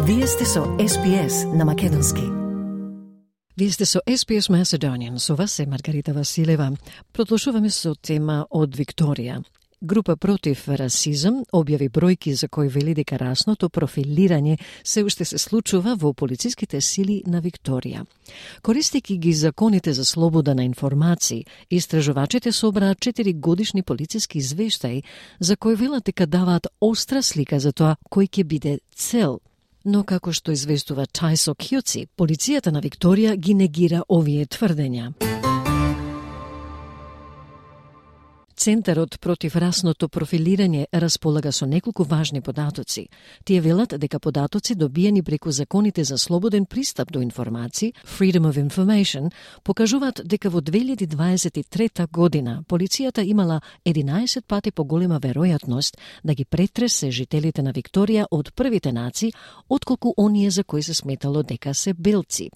Вие сте со SPS на македонски. Вие сте со SPS Macedonian, со вас е Маргарита Василева. Продолжуваме со тема од Викторија. Група против расизам објави бројки за кои вели дека расното профилирање се уште се случува во полициските сили на Викторија. Користејќи ги законите за слобода на информации, истражувачите собраа 4 годишни полициски извештаи за кои велат дека даваат остра слика за тоа кој ќе биде цел. Но како што известува Тајсо Кјуци, полицијата на Викторија ги негира овие тврдења. Центарот против расното профилирање располага со неколку важни податоци. Тие велат дека податоци добиени преку законите за слободен пристап до информации, Freedom of Information, покажуваат дека во 2023 година полицијата имала 11 пати поголема веројатност да ги претресе жителите на Викторија од првите нации, отколку оние за кои се сметало дека се белци.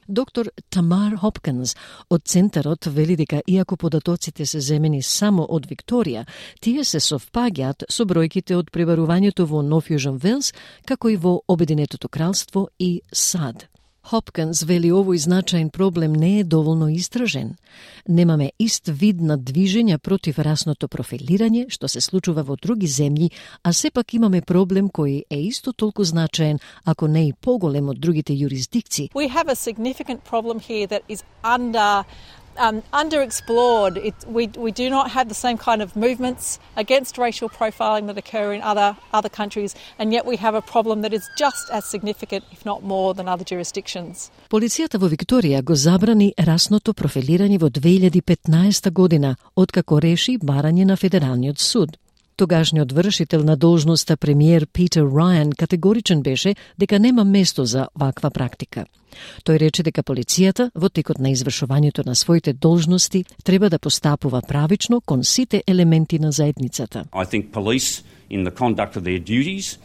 Доктор Тамар Хопкинс од Центарот вели дека иако податоците се земени само од Викторија, тие се совпаѓаат со бројките од пребарувањето во Нов Јужен Велс, како и во Обединетото кралство и САД. Хопкинс вели овој значаен проблем не е доволно истражен. Немаме ист вид на движење против расното профилирање, што се случува во други земји, а сепак имаме проблем кој е исто толку значаен, ако не и поголем од другите юрисдикции. We have a significant problem here that is underexplored. We do not have the same kind of movements against racial profiling that occur in other countries, and yet we have a problem that is just as significant, if not more, than other jurisdictions. Полицијата во Викторија го забрани расното профилирање во 2015 година, откако реши барање на Федералниот суд. Тогашниот вршител на должноста премиер Питер Рајан категоричен беше дека нема место за ваква практика. Тој рече дека полицијата во текот на извршувањето на своите должности треба да постапува правично кон сите елементи на заедницата. I think police in the conduct of their duties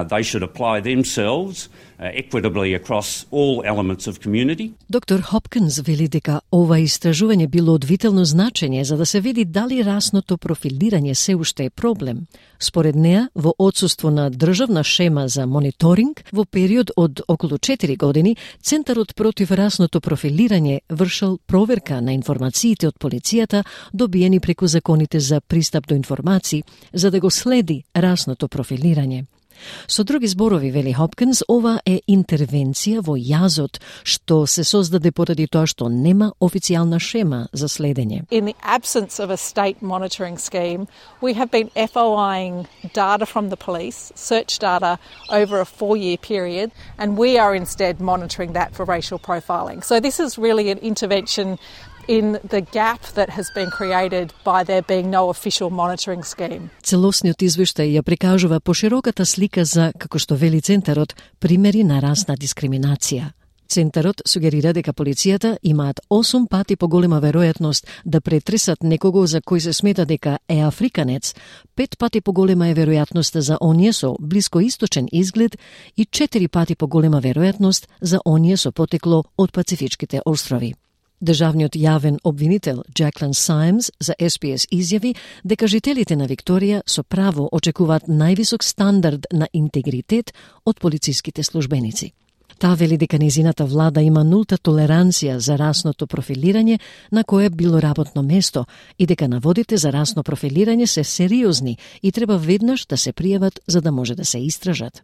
they should apply themselves equitably across all elements of community. Доктор Хопкинс вели дека ова истражување било од витално значење за да се види дали расното профилирање се уште е проблем. Според неа, во отсуство на државна шема за мониторинг, во период од околу 4 години, Центарот против расното профилирање вршил проверка на информациите од полицијата добиени преку законите за пристап до информации, за да го следи расното профилирање. Со други зборови, вели Хопкинс, ова е интервенција во јазот што се создаде поради тоа што нема официјална шема за следење. In the absence of a state monitoring scheme, we have been FOIing data from the police, search data over a 4-year period, and we are instead monitoring that for racial profiling. So this is really an intervention in the gap that has been created by there being no official monitoring scheme. Целосниот извештај ја прикажува пошироката слика за, како што вели Центарот, примери на расна дискриминација. Центарот сугерира дека полицијата имаат 8 пати поголема веројатност да претресат некого за кој се смета дека е африканец, 5 пати поголема е веројатноста за оние со блискоисточен изглед и 4 пати поголема веројатност за оние со потекло од Пацифичките острови. Државниот јавен обвинител Джаклин Сајмс за SPS изјави дека жителите на Викторија со право очекуваат највисок стандард на интегритет од полициските службеници. Таа вели дека незината влада има нулта толеранција за расното профилирање на кое било работно место и дека наводите за расно профилирање се сериозни и треба веднаш да се пријават за да може да се истражат.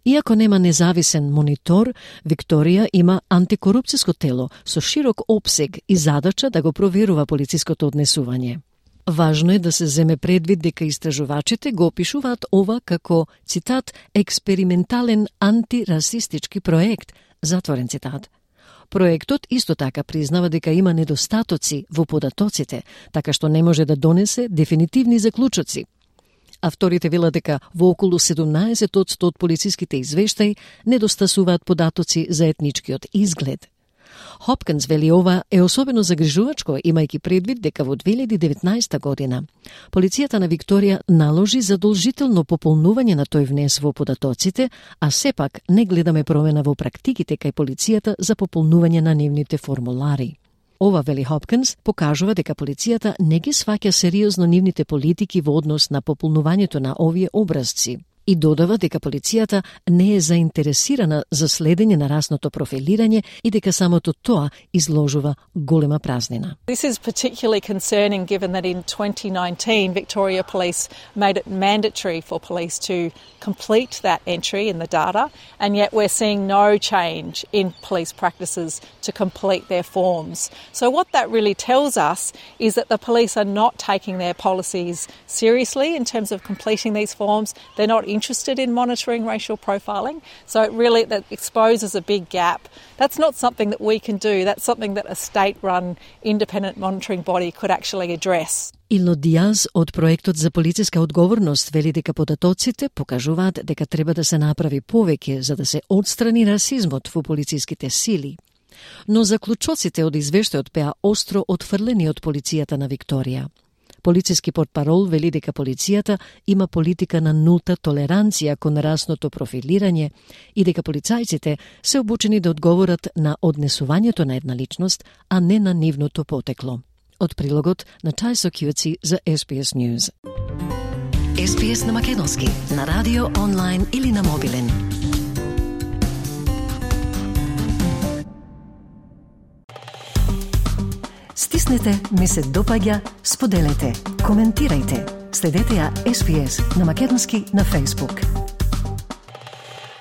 Иако нема независен монитор, Викторија има антикорупцијско тело со широк опсег и задача да го проверува полициското однесување. Важно е да се земе предвид дека истражувачите го опишуваат ова како, цитат, експериментален антирасистички проект, затворен цитат. Проектот исто така признава дека има недостатоци во податоците, така што не може да донесе дефинитивни заклучоци. Авторите велат дека во околу 17% од полициските извештаи недостасуваат податоци за етничкиот изглед. Хопкинс вели ова е особено загрижувачко, имајќи предвид дека во 2019 година полицијата на Викторија наложи задолжително пополнување на тој внес во податоците, а сепак не гледаме промена во практиките кај полицијата за пополнување на нивните формулари. Ова, вели Хопкинс, покажува дека полицијата не ги сваќа сериозно нивните политики во однос на пополнувањето на овие образци. И додава дека полицијата не е заинтересирана за следење на расното профилирање и дека самото тоа изложува голема празнина. This is particularly concerning given that in 2019 Victoria Police made it mandatory for police to complete that entry in the data, and yet we're seeing no change in police practices to complete their forms. So what that really tells us is that the police are not taking their policies seriously in terms of completing these forms. They're not interested in monitoring racial profiling. So it really that exposes a big gap. That's not something that we can do. That's something that a state-run independent monitoring body could actually address. Илно Диаз од проектот за полициска одговорност вели дека податоците покажуваат дека треба да се направи повеќе за да се отстрани расизмот во полициските сили. Но заклучоците од извештајот беа остро отфрлени од полицијата на Викторија. Полициски портпарол вели дека полицијата има политика на нулта толеранција кон расното профилирање и дека полицајците се обучени да одговорат на однесувањето на една личност, а не на нивното потекло. Од прилогот на Тајсо Кјуци за SBS News. SBS на македонски, на радио, онлайн или на мобилен. Стиснете, ми се допаѓа, споделете, коментирајте. Следете ја SBS на македонски на Facebook.